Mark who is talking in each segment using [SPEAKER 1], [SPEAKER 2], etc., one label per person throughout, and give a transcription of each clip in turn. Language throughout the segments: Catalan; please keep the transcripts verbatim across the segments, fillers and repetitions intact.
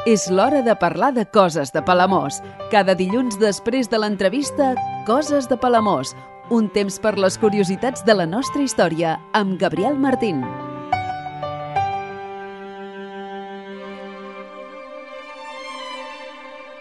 [SPEAKER 1] És l'hora de parlar de coses de Palamós. Cada dilluns després de l'entrevista, Coses de Palamós. Un temps per les curiositats de la nostra història, amb Gabriel Martín.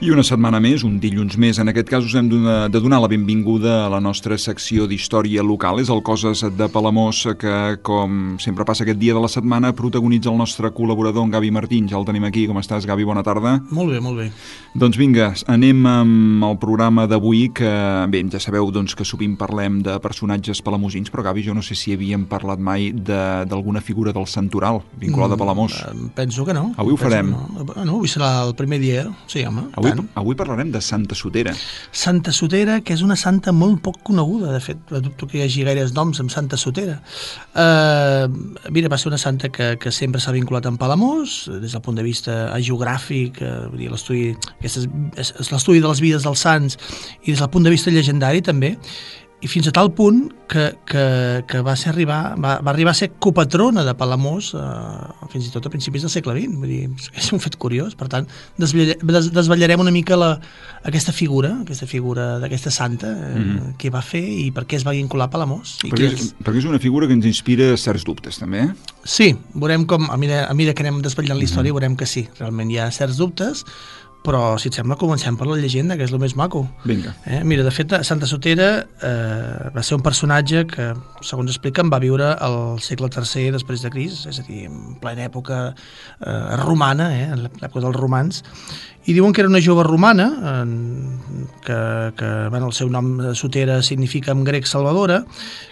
[SPEAKER 2] I una setmana més, un dilluns més, en aquest cas us hem de donar la benvinguda a la nostra secció d'història local. És el Coses de Palamós que, com sempre passa aquest dia de la setmana, protagonitza el nostre col·laborador, en Gavi Martín. Ja el tenim aquí. Com estàs, Gavi? Bona tarda.
[SPEAKER 3] Molt bé, molt bé.
[SPEAKER 2] Doncs vinga, anem amb el programa d'avui, que bé, ja sabeu doncs, que sovint parlem de personatges palamosins, però Gavi, jo no sé si havíem parlat mai d'alguna figura del santoral vinculada a Palamós.
[SPEAKER 3] Mm, penso que no.
[SPEAKER 2] Avui ho farem.
[SPEAKER 3] No. no, avui serà el primer dia, sí, home.
[SPEAKER 2] Avui Avui parlarem de Santa Sotera.
[SPEAKER 3] Santa Sotera, que és una santa molt poc coneguda, de fet. Dubto que hi hagi gaires noms amb Santa Sotera. Uh, mira, va ser una santa que, que sempre s'ha vinculat amb Palamós, des del punt de vista geogràfic, uh, l'estudi és, és l'estudi de les vides dels sants, i des del punt de vista llegendari també, i fins a tal punt que, que, que va, ser arribar, va, va arribar a ser copatrona de Palamós eh, fins i tot a principis del segle vint. Vull dir, és un fet curiós. Per tant, desvetllarem una mica la, aquesta figura, aquesta figura d'aquesta santa, eh, mm-hmm. què va fer i per què es va vincular a Palamós. I
[SPEAKER 2] perquè,
[SPEAKER 3] és,
[SPEAKER 2] és, perquè és una figura que ens inspira certs dubtes, també.
[SPEAKER 3] Sí, veurem com, a mesura, a mesura que anem desvetllant la història, mm-hmm. veurem que sí, realment hi ha certs dubtes, però, si et sembla, comencem per la llegenda, que és el més maco.
[SPEAKER 2] Vinga.
[SPEAKER 3] Eh? Mira, de fet, Santa Sotera eh, va ser un personatge que, segons expliquen, va viure al segle tercer després de Crist, és a dir, en plena època eh, romana, eh, en l'època dels romans, i diuen que era una jove romana, eh, que, que bueno, el seu nom Sotera significa en grec salvadora,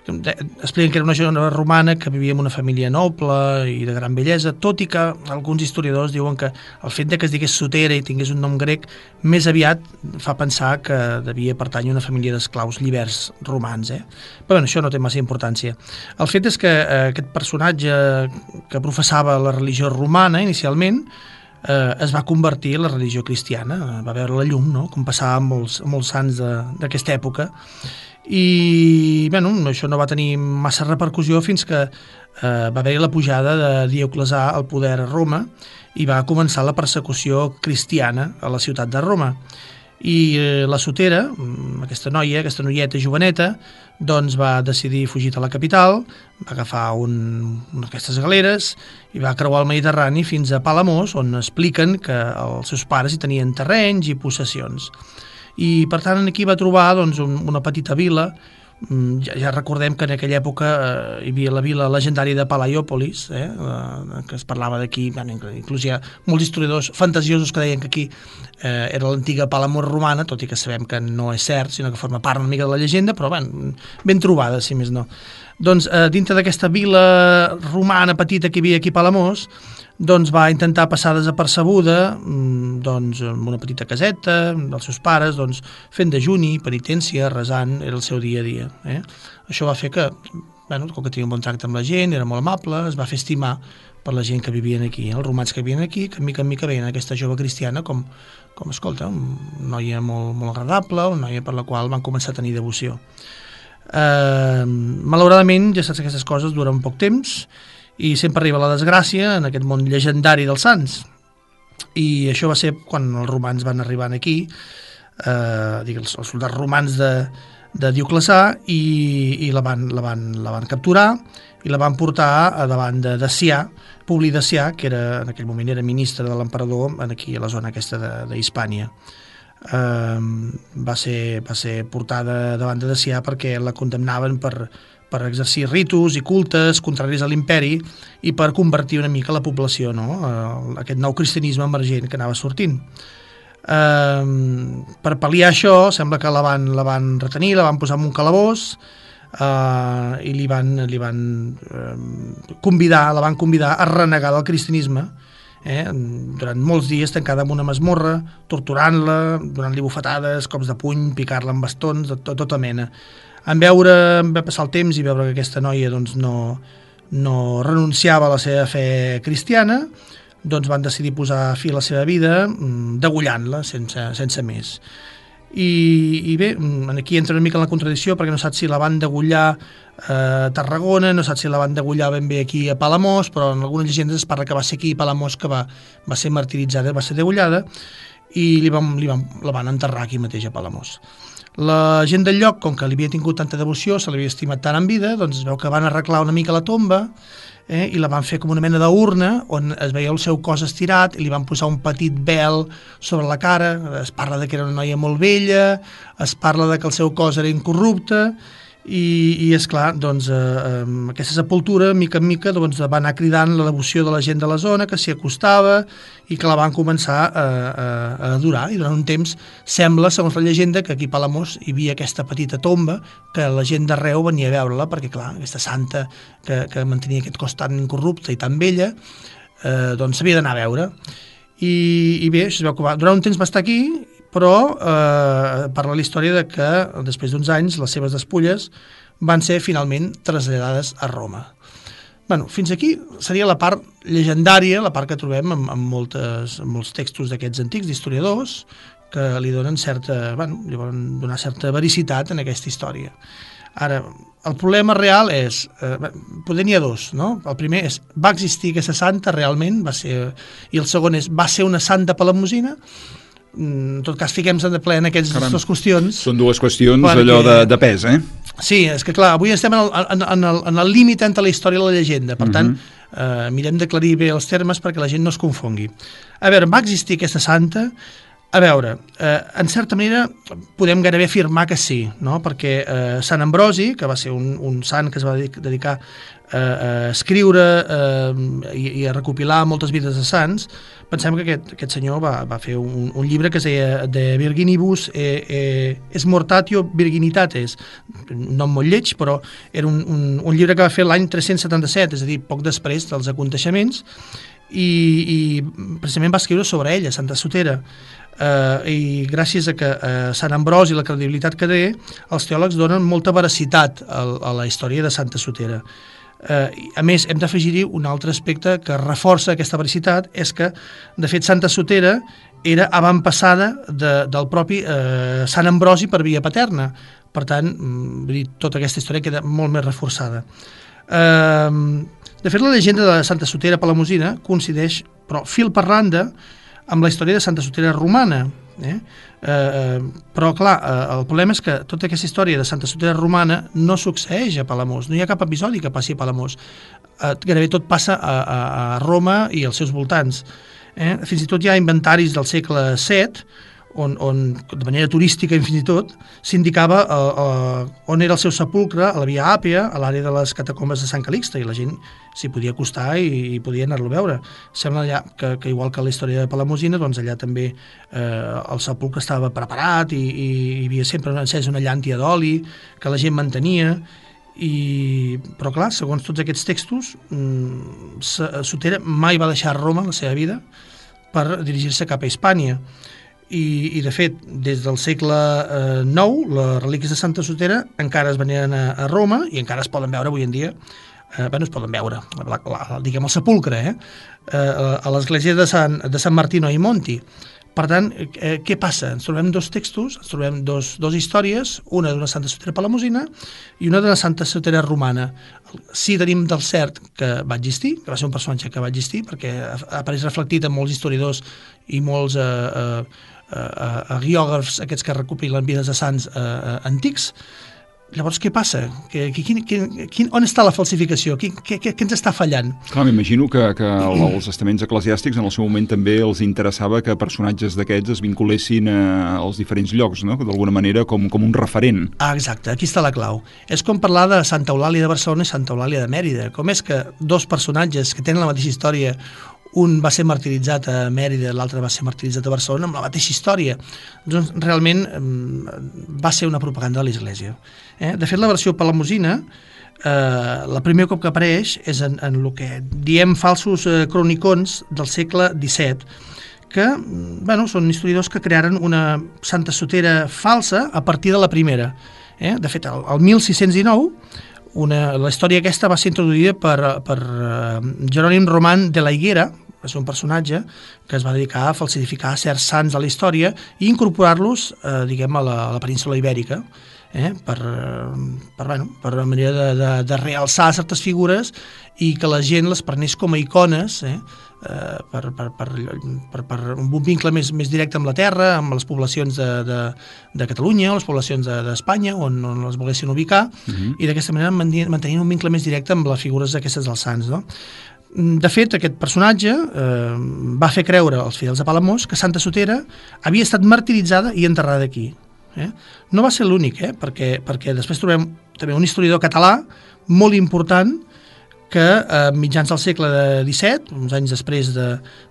[SPEAKER 3] que expliquen que era una jove romana que vivia en una família noble i de gran bellesa, tot i que alguns historiadors diuen que el fet de que es digués Sotera i tingués un nom grec més aviat fa pensar que devia pertànyer a una família d'esclaus llibers romans, eh? Però bueno, això no té massa importància. El fet és que eh, aquest personatge que professava la religió romana inicialment eh, es va convertir en la religió cristiana, va veure la llum, no? Com passava amb molts, amb molts sants d'aquesta època, i bueno, això no va tenir massa repercussió fins que eh, va haver la pujada de Dioclesà al poder a Roma i va començar la persecució cristiana a la ciutat de Roma. I eh, la Sotera, aquesta noia, aquesta noieta joveneta, doncs va decidir fugir a la capital, va agafar un, una d'aquestes galeres i va creuar el Mediterrani fins a Palamós, on expliquen que els seus pares hi tenien terrenys i possessions. I per tant aquí va trobar doncs, un, una petita vila. Ja, ja recordem que en aquella època eh, hi havia la vila legendària de Palaiòpolis, eh, eh, que es parlava d'aquí, bueno, inclús hi ha molts historiadors fantasiosos que deien que aquí eh, era l'antiga Palamós romana, tot i que sabem que no és cert, sinó que forma part una mica de la llegenda, però ben, ben trobada, si més no. Doncs eh, dintre d'aquesta vila romana petita que hi havia aquí a Palamós, doncs va intentar passar desapercebuda doncs, amb una petita caseta dels seus pares, doncs, fent dejuni, penitència, resant, era el seu dia a dia. Eh? Això va fer que, bueno, com que tenia un bon tracte amb la gent, era molt amable, es va fer estimar per la gent que vivien aquí, els romans que vivien aquí, que mica en mica veien aquesta jove cristiana com, com escolta, una noia molt, molt agradable, una noia per la qual van començar a tenir devoció. Eh, malauradament, ja saps que aquestes coses duren poc temps, i sempre arriba la desgràcia en aquest món llegendari dels sants. I això va ser quan els romans van arribar aquí, eh, els, els soldats romans de, de Dioclesà, i, i la, van, la, van, la van capturar i la van portar a davant de Decià, Publi Decià, que era, en aquell moment era ministre de l'emperador aquí a la zona aquesta d'Hispània. Eh, va, ser, va ser portada davant de Decià perquè la condemnaven per per exercir ritus i cultes contraris a l'imperi i per convertir una mica la població, no? Aquest nou cristianisme emergent que anava sortint. Eh, per pal·liar això, sembla que la van, la van retenir, la van posar en un calabós eh, i li van, li van eh, convidar, la van convidar a renegar del cristianisme, eh, durant molts dies tancada en una masmorra, torturant-la, donant-li bufetades, cops de puny, picar-la amb bastons, de, de tota mena. En veure, en va passar el temps i veure que aquesta noia doncs, no, no renunciava a la seva fe cristiana, doncs van decidir posar fi a la seva vida degollant-la sense, sense més. i, i bé, aquí entra una mica en la contradicció perquè no saps si la van degollar a Tarragona, no saps si la van degollar ben bé aquí a Palamós, però en algunes llegendes es parla que va ser aquí a Palamós que va, va ser martiritzada, va ser degollada, i li van, li van, la van enterrar aquí mateix a Palamós. La gent del lloc, com que li havia tingut tanta devoció, se l'havia estimat tant en vida, doncs es veu que van arreglar una mica la tomba, eh, i la van fer com una mena d'urna on es veia el seu cos estirat i li van posar un petit vel sobre la cara. Es parla de que era una noia molt vella, es parla de que el seu cos era incorrupte, i, i és clar, doncs, eh, aquesta sepultura, mica en mica, doncs, va anar cridant la devoció de la gent de la zona, que s'hi acostava i que la van començar a, a, a adorar. I durant un temps sembla, segons la llegenda, que aquí a Palamós hi havia aquesta petita tomba que la gent d'arreu venia a veure-la, perquè clar, aquesta santa que, que mantenia aquest cos tan incorrupte i tan vella, eh, doncs s'havia d'anar a veure. I, i bé, això es veu que va, durant un temps va estar aquí, però eh, parla la història de que després d'uns anys les seves despulles van ser finalment traslladades a Roma. Bueno, fins aquí seria la part llegendària, la part que trobem en, en, moltes, en molts textos d'aquests antics, d'historiadors, que li donen certa, bueno, li volen donar certa vericitat en aquesta història. Ara, el problema real és, eh, poder n'hi ha dos, no? El primer és, va existir aquesta santa realment? Va ser, i el segon és, va ser una santa palamosina? En tot cas, fiquem-se de ple en aquestes dues qüestions.
[SPEAKER 2] Són dues qüestions
[SPEAKER 3] perquè,
[SPEAKER 2] allò de, de pes, eh?
[SPEAKER 3] Sí, és que clar, avui estem en el, en, en el, en el límit entre la història i la llegenda, per uh-huh. tant, eh, mirem d'aclarir bé els termes perquè la gent no es confongui. A veure, va existir aquesta santa? A veure, eh, en certa manera podem gairebé afirmar que sí, no? Perquè eh, Sant Ambrosi, que va ser un, un sant que es va dedicar eh, a escriure eh, i, i a recopilar moltes vides de sants, pensem que aquest, aquest senyor va, va fer un, un llibre que es deia De Virginibus e, e, es Mortatio Virginitates, un nom molt lleig, però era un, un, un llibre que va fer l'any tres-cents setanta-set, és a dir, poc després dels aconteixements, i, i precisament va escriure sobre ella, Santa Sotera. Uh, i gràcies a que uh, Sant Ambrosi i la credibilitat que té, els teòlegs donen molta veracitat a, a la història de Santa Sotera. Uh, a més, hem d'afegir-hi un altre aspecte que reforça aquesta veracitat, és que, de fet, Santa Sotera era avantpassada de, del propi uh, Sant Ambrosi per via paterna. Per tant, vull dir, tota aquesta història queda molt més reforçada. Uh, de fet, la llegenda de Santa Sotera palamosina coincideix, però fil per randa, amb la història de Santa Sotera romana. Eh? Eh, però, clar, eh, el problema és que tota aquesta història de Santa Sotera romana no succeeix a Palamós, no hi ha cap episodi que passi a Palamós. Eh, gairebé tot passa a, a, a Roma i als seus voltants. Eh? Fins i tot hi ha inventaris del segle set, on, on de manera turística fins i tot s'indicava eh, eh, on era el seu sepulcre, a la Via Àpia, a l'àrea de les catacombes de Sant Calixte, i la gent s'hi podia acostar i, i podia anar-lo a veure. Sembla allà que, que igual que la història de Palamosina, doncs allà també eh, el sepulcre estava preparat i, i hi havia sempre encès una llàntia d'oli que la gent mantenia. I, però clar, segons tots aquests textos, mmm, Sotera mai va deixar Roma la seva vida per dirigir-se cap a Hispània. I, i de fet, des del segle eh, nou, les relíquies de Santa Sotera encara es veneren a, a Roma i encara es poden veure avui en dia. Eh, bueno, es poden veure, la, la, diguem el sepulcre, eh? Eh, a l'església de Sant, de Sant Martino ai Monti. Per tant, eh, què passa? Ens trobem dos textos, ens trobem dos, dos històries, una d'una Santa Sotera palamosina i una d'una Santa Sotera romana. Sí, tenim del cert que va existir, que va ser un personatge que va existir, perquè apareix reflectit en molts historiadors i molts eh, eh, eh, agiògrafs, aquests que recopilen vides de sants eh, eh, antics. Llavors, què passa? Que, que, quin, quin, on està la falsificació? Què, què, què ens està fallant?
[SPEAKER 2] Clar, m'imagino que, que els estaments eclesiàstics en el seu moment també els interessava que personatges d'aquests es vinculessin a, als diferents llocs, no? D'alguna manera com, com un referent.
[SPEAKER 3] Ah, exacte, aquí està la clau. És com parlar de Santa Eulàlia de Barcelona i Santa Eulàlia de Mèrida. Com és que dos personatges que tenen la mateixa història, un va ser martiritzat a Mèrida, l'altre va ser martiritzat a Barcelona, amb la mateixa història. Doncs realment va ser una propaganda de l'Església. Eh? De fet, la versió palamosina, eh, la primer cop que apareix és en, en el que diem falsos eh, cronicons del segle disset, que bueno, són historiadors que crearen una Santa Sotera falsa a partir de la primera. Eh? De fet, el, el mil sis-cents dinou, Una, la història aquesta va ser introduïda per, per uh, Jerònim Roman de la Higuera, va ser un personatge que es va dedicar a falsificar certs sants de la història i incorporar-los, eh, diguem, a la, a la península ibèrica, eh, per, per, bueno, per una manera de, de, de realçar certes figures i que la gent les prenés com a icones, eh, eh, per, per, per, per, per un vincle més, més directe amb la terra, amb les poblacions de, de, de Catalunya o les poblacions d'Espanya, de, on, on les volguessin ubicar, uh-huh. i d'aquesta manera mantenint un vincle més directe amb les figures d'aquestes dels sants, no? De fet, aquest personatge eh, va fer creure als fidels de Palamós que Santa Sotera havia estat martiritzada i enterrada aquí. Eh? No va ser l'únic, eh? perquè, perquè després trobem també un historiador català molt important que a eh, mitjans del segle disset, uns anys després de,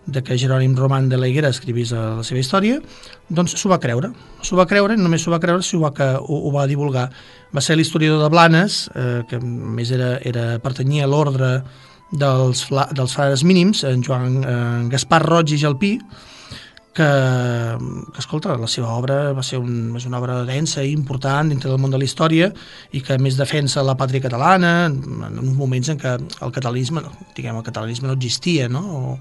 [SPEAKER 3] de que Jerònim Roman de la Higuera escrivís la seva història, doncs s'ho va creure. S'ho va creure, i només s'ho va creure, s'ho va, que ho, ho va divulgar. Va ser l'historiador de Blanes, eh, que més era, era pertanyia a l'ordre dels, dels frares mínims, en Joan en Gaspar Roig i Jalpí, que, que, escolta, la seva obra va ser un, és una obra densa i important dintre del món de la història i que més defensa la pàtria catalana en, en uns moments en què el catalanisme, diguem, el catalanisme no existia, no? O,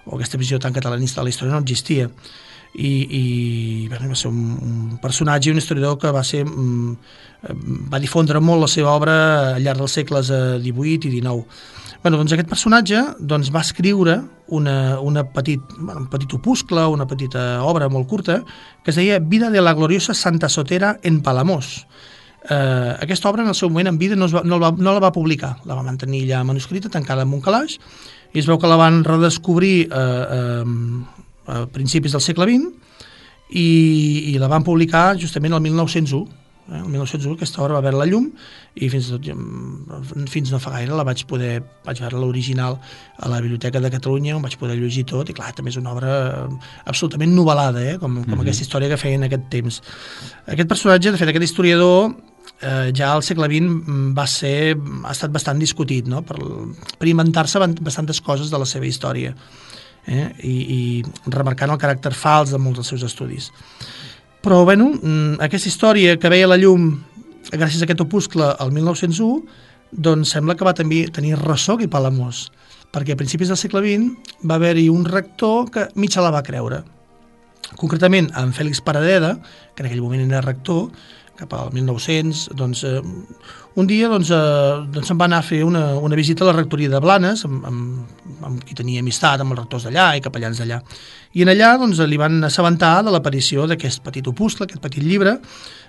[SPEAKER 3] o aquesta visió tan catalanista de la història no existia. I, i bueno, va ser un, un personatge, un historiador que va ser va difondre molt la seva obra al llarg dels segles divuit i dinou. Bueno, doncs aquest personatge doncs, va escriure una, una petit, bueno, un petit opuscle, una petita obra molt curta, que es deia Vida de la gloriosa Santa Sotera en Palamós. Eh, aquesta obra en el seu moment en vida no, es va, no, la, no la va publicar, la va mantenir ja manuscrita, tancada en un calaix, i es veu que la van redescobrir eh, eh, a principis del segle vint i, i la van publicar justament el mil nou-cents u. El mil nou-cents u aquesta obra va veure la llum i fins, tot, fins no fa gaire la vaig poder, vaig veure l'original a la Biblioteca de Catalunya, on vaig poder llegir tot, i clar, també és una obra absolutament novel·lada, eh? com, com mm-hmm. aquesta història que feia en aquest temps. Aquest personatge, de fet, aquest historiador, eh, ja al segle vint va ser, ha estat bastant discutit, no? per, per inventar-se bastantes coses de la seva història, eh? I, i remarcant el caràcter fals de molts dels seus estudis. Però, bueno, aquesta història que veia la llum gràcies a aquest opuscle al mil nou-cents u, doncs sembla que va també tenir ressò aquí a Palamós, perquè a principis del segle vint va haver-hi un rector que mig se la va creure. Concretament, en Fèlix Paradeda, que en aquell moment era rector, cap al mil nou-cents, doncs, eh, un dia doncs, eh, doncs se'n va anar a fer una, una visita a la rectoria de Blanes, amb, amb, amb qui tenia amistat, amb els rectors d'allà i capellans d'allà. I en allà doncs, li van assabentar de l'aparició d'aquest petit opuscle, aquest petit llibre,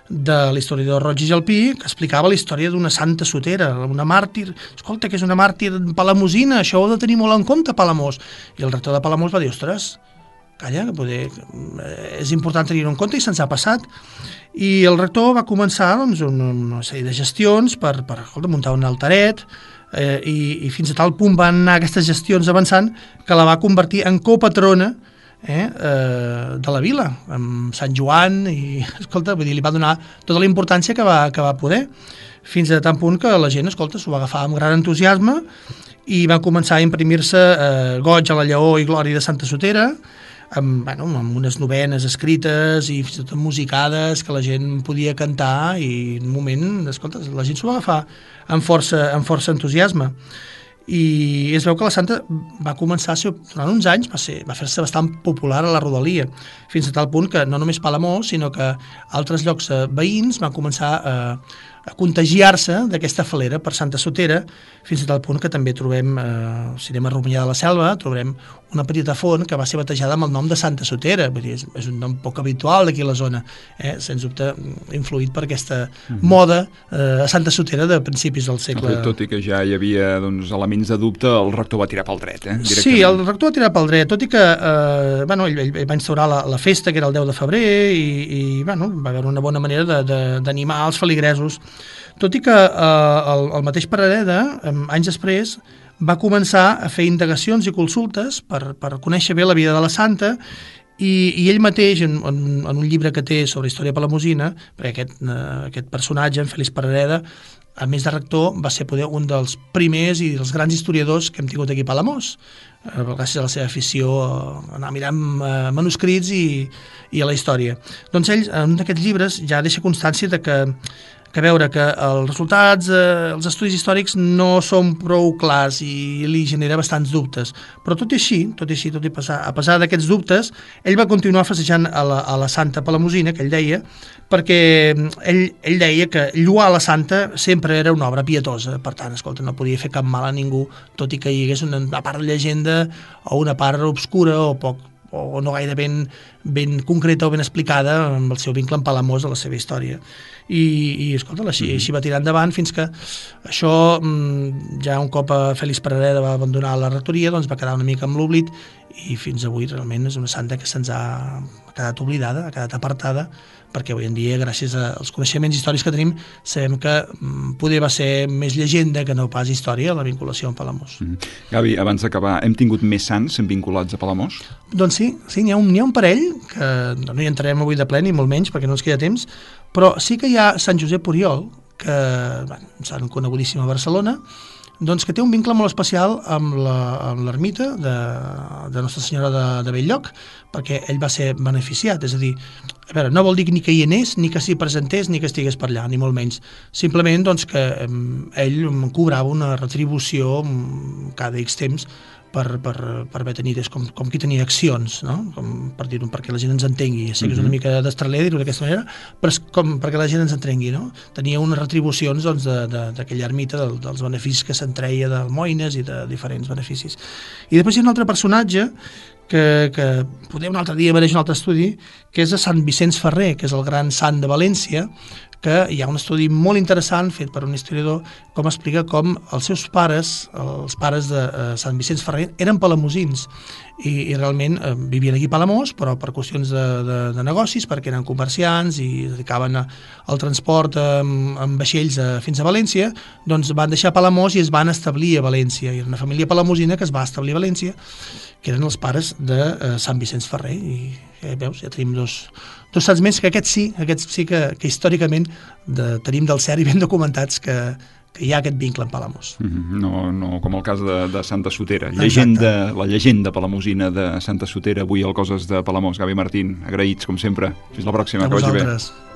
[SPEAKER 3] de l'historiador Roig i Jalpí, que explicava la història d'una santa sotera, una màrtir. Escolta, que és una màrtir palamosina, això ho heu de tenir molt en compte, Palamós. I el rector de Palamós va dir, ostres, calla, que poder, és important tenir-ho en compte, i se'ns ha passat. I el rector va començar doncs, una, una sèrie de gestions per, per escolta, muntar un altaret, eh, i, i fins a tal punt van anar aquestes gestions avançant que la va convertir en copatrona eh, eh, de la vila, amb Sant Joan, i escolta, vull dir, li va donar tota la importància que va, que va poder, fins a tant punt que la gent, escolta, s'ho va agafar amb gran entusiasme i va començar a imprimir-se eh, goig a la lleó i glòria de Santa Sotera, amb, bueno, amb unes novenes escrites i fins i tot musicades que la gent podia cantar, i en un moment, escolta, la gent s'ho va agafar amb força, amb força entusiasme. I es veu que la santa va començar a ser, durant uns anys, va, ser, va fer-se bastant popular a la rodalia, fins a tal punt que no només Palamós, sinó que altres llocs veïns van començar a, a contagiar-se d'aquesta falera per Santa Sotera, fins a tal punt que també trobem, eh, si anem a Romanyà de la Selva, trobarem una petita font que va ser batejada amb el nom de Santa Sotera. Vull dir, és, és un nom poc habitual d'aquí a la zona, eh? Sens dubte influït per aquesta mm-hmm. moda eh, a Santa Sotera de principis del segle.
[SPEAKER 2] Tot i que ja hi havia doncs, elements de dubte, el rector va tirar pel dret, eh?
[SPEAKER 3] Sí, el rector va tirar pel dret, tot i que eh, bueno, ell, ell va instaurar la, la festa, que era el deu de febrer, i, i bueno, va haver una bona manera d'animar els feligresos. Tot i que eh, el, el mateix Paradeda, eh, anys després, va començar a fer indagacions i consultes per, per conèixer bé la vida de la santa, i, i ell mateix, en, en, en un llibre que té sobre història palamosina, perquè aquest, eh, aquest personatge, en Fèlix Paradeda, a més de rector, va ser poder un dels primers i dels grans historiadors que hem tingut aquí a Palamós, eh, gràcies a la seva afició a anar mirant eh, manuscrits i, i a la història. Doncs ell, en un d'aquests llibres, ja deixa constància de que que veure que els resultats, eh, els estudis històrics no són prou clars i li genera bastants dubtes. Però tot i així, tot i així, tot i passar, a pesar d'aquests dubtes, ell va continuar festejant a la, a la Santa Palamosina, que ell deia, perquè ell, ell deia que lluar la Santa sempre era una obra pietosa, per tant, escolta, no podia fer cap mal a ningú, tot i que hi hagués una, una part de llegenda o una part obscura o poc o no gaire ben, ben concreta o ben explicada amb el seu vincle amb Palamós a la seva història. I, i escolta, així, mm-hmm. així va tirar endavant fins que això, ja un cop Fèlix Perereda va abandonar la rectoria, doncs va quedar una mica amb l'oblit i fins avui realment és una santa que se'ns ha quedat oblidada, ha quedat apartada, perquè avui en dia, gràcies als coneixements històrics que tenim, sabem que mm, poder va ser més llegenda que no pas història, la vinculació amb Palamós.
[SPEAKER 2] Mm. Gavi, abans d'acabar, hem tingut més sants vinculats a Palamós?
[SPEAKER 3] Doncs sí, sí n'hi ha, un, n'hi ha un parell, que no hi entrarem avui de ple, ni molt menys, perquè no ens queda temps, però sí que hi ha Sant Josep Oriol, que bueno, un sant conegudíssim a Barcelona, doncs que té un vincle molt especial amb l'ermita de, de Nostra Senyora de, de Bell-lloc, perquè ell va ser beneficiat, és a dir, a veure, no vol dir ni que hi anés, ni que s'hi presentés, ni que estigués per allà, ni molt menys. Simplement doncs, que eh, ell cobrava una retribució cada X temps per, per, per haver tenit, com, com qui tenia accions, no? Com per dir-ho, perquè la gent ens entengui. Sé que és una mica d'estraler dir-ho d'aquesta manera, però és com perquè la gent ens entengui, no? Tenia unes retribucions doncs, d'aquella de, de, ermita, del, dels beneficis que se'n treia d'almoines i de diferents beneficis. I després hi ha un altre personatge que, que poder un altre dia mereix un altre estudi, que és a Sant Vicenç Ferrer, que és el gran sant de València, que hi ha un estudi molt interessant fet per un historiador com explica com els seus pares, els pares de eh, Sant Vicenç Ferrer, eren palamosins i, i realment eh, vivien aquí a Palamós, però per qüestions de, de, de negocis, perquè eren comerciants i es dedicaven a, al transport amb, amb vaixells a, fins a València, doncs van deixar Palamós i es van establir a València. I era una família palamosina que es va establir a València, que eren els pares de eh, Sant Vicenç Ferrer. I ja veus, ja tenim dos, dos sants més, que aquests sí, aquests sí que, que històricament de, tenim del cert i ben documentats que, que hi ha aquest vincle amb Palamós.
[SPEAKER 2] Mm-hmm. No, no com el cas de, de Santa Sotera. Llegenda, la llegenda palamosina de Santa Sotera, avui al Coses de Palamós. Gavi Martín, agraïts, com sempre. Fins la pròxima,
[SPEAKER 3] a
[SPEAKER 2] que vagi bé.
[SPEAKER 3] vosaltres.